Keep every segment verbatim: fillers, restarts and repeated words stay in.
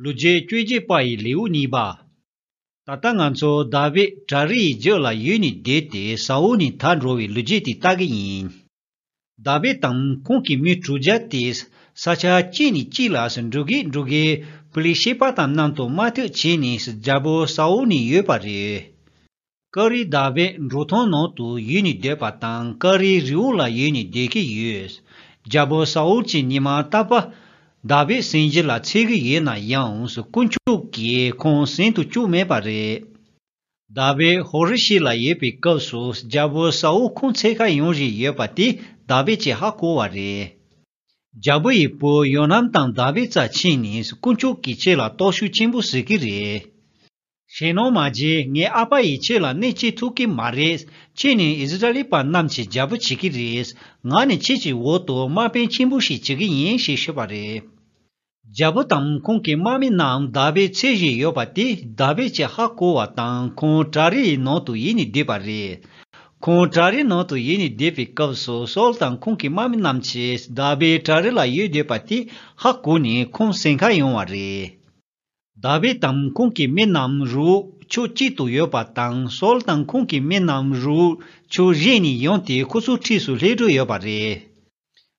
ལོ་རྒྱུས་བཅོ་བརྒྱད་པ་ཡི་ལེའུ་གཉིས་པ། ད་ལྟ་ང་ཚོ་དཱ་བིད་བྲག་རི་ཡི་རྒྱུད་ལ་ཡུལ་ནས་བསྡད་དེ་ས་ཨུལ་ནས་ཐར་འགྲོ་བའི་ལོ་རྒྱུས་དེ་ལྟ་གི་ཡིན། དཱ་བིད་དང་ཁོང་གི་མི་དྲུག་བརྒྱ་དེ་ས་ཆ་གཅིག་ནས་གཅིག་ལ་འགྲོ་གི་འགྲོ་གི་པི་ལི་ཤེད་པ་དང་མཉམ་དུ་དམག་འཐུག་བྱས་ནས་རྒྱལ་པོ་ས་ཨུལ་ནས་ཡོད་པ་རེད། ཀ་རི་དཱ་བིད་འབྲོག་ཐང་ནང་དུ་ཡུལ་ནས་སྡོད་པ་དང་ཀ་རི་རི་བོ་ལ་ཡུལ་ནས་སྡོད་ཀྱི་ཡོད། རྒྱལ་པོ་ས་ཨུལ་གྱིས་ཉི་མ་རྟག་པར་དཱ་བིད་སེམས་རྒྱུད་ལ་འཚེར་གྱི་ཡོད་ན་ཡང་དཀོན་མཆོག་གིས་ཁོང་སེམས་དུ་བཅུག་མེད་པ་རེད། དཱ་བིད་ཧོ་རེ་ཤི་ལ་ཡོད་པའི་སྐབས་སུ་རྒྱལ་པོ་ས་ཨུལ་ཁོང་འཚོལ་ག་ཡོང་བཞིན་ཡོད་པ་དེ་དཱ་བིད་ཀྱིས་ཧ་གོ་བ་རེད། རྒྱལ་པོ་ཡི་བུ་ཡོ་ནམ་དང་དཱ་བིད་རྩར་ཕྱིན་ནས་དཀོན་མཆོག་གིས་ཁྱེད་ལ་སྟོབས་ཤུགས་ཆེན་པོ་གཟིགས་ཀྱི་རེད། ཞེད་སྣང་མ་བྱེད། ངའི་ཨ་ཕ་ཡིས་ཁྱེད་ལ་གནོད་བྱེད་ཐུབ་ཀྱི་མ་རེད། ཁྱེད་ནི་ཨིསི་ར་ཨེལ་པ་རྣམས་ཀྱི་རྒྱལ་པོ་བྱེད་ཀྱི་རེད། ང་ནི་ཁྱེད་ཀྱི་འོག་ཏུ་དམག་དཔོན་ཆེན་པོ་ཞིག་བྱེད་ཀྱི་ཡིན་ཞེས་ཤོད་པ་རེད། རྒྱལ་པོ་དང་ཁོང་གི་དམག་མི་རྣམས་དཱ་བིད་འཚོལ་བཞིན་ཡོད་པ་དེ་དཱ་བིད་ཀྱིས་ཧ་གོ་བ་དང་ཁོང་བྲག་རིའི་ནང་དུ་ཡུལ་ནས་བསྡད་པ་རེད། ཁོང་བྲག་རིའི་ནང་དུ་ཡུལ་ནས་བསྡད་པའི་སྐབས་སུ་ས་ཨུལ་དང་ཁོང་གི་དམག་མི་རྣམས་ཀྱིས་དཱ་བིད་བྲག་རི་ལ་ཡོད་བསྡད་པ་དེ་ཧ་གོ་ནས་ཁོང་འཚོལ་ག་ཡོང་བ་རེད། དཱ་བིད་དང་ཁོང་གི་མི་རྣམས་རི་བོ་ཕྱོགས་གཅིག་ཏུ་ཡོད་པ་དང་ས་ཨུལ་དང་ཁོང་གི་མི་རྣམས་རི་བོ་ཕྱོགས་གཞན་ནས་ཡོང་སྟེ་ཁོ་ཚོའི་འཁྲིས་སུ་སླེབས་འགྲོ་ཡོད་པ་རེད།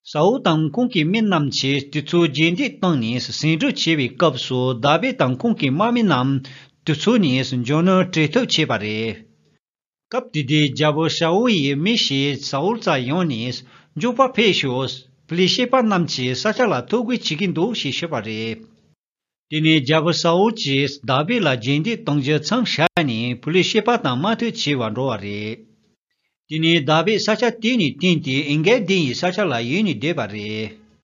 ས་ཨུལ་དང་ཁོང་གི་མི་རྣམས་ཀྱིས་དེ་ཚོ་རྗེས་འདེད་བཏང་ནས་ཟིང་འཁྲུག་བྱེད་པའི་སྐབས་སུ་དཱ་བིད་དང་ཁོང་གི་དམག་མི་རྣམས་དེ་ཚོ་ནས་འབྱོར་ནོར་སྤྲད་ཐབས་བྱས་པ་རེད། སྐབས་དེ་དུས་རྒྱལ་པོ་ས་ཨུལ་ཡི་མི་ཞིག་ས་ཨུལ་རྩར་ཡོང་ནས་མགྱོགས་པར་ཕེབས་ཤོག་པི་ལི་ཤེད་པ་རྣམས་ཀྱིས་ས་ཆ་ལ་འཐབ་རྒོལ་བྱེད་ཀྱི་འདུག་ཞེས་ཤོད་པ་རེད། དེ་ནས་རྒྱལ་པོ་ས་ཨུལ་གྱིས་དཱ་བིད་ལ་རྗེས་འདེད་གཏོང་རྒྱུ་མཚམས་བཞག་ནས་པི་ལི་ཤེད་པ་དང་དམག་འཐབ་བྱེད་པར་འགྲོ་བ་རེད། དེ་ནས་དཱ་བིད་ས་ཆ་དེ་ནས་བཏོན་ཏེ་ཨེན་གེལ་དི་ཡི་ས་ཆ་ལ་ཡུལ་ནས་བསྡད་པ་རེད།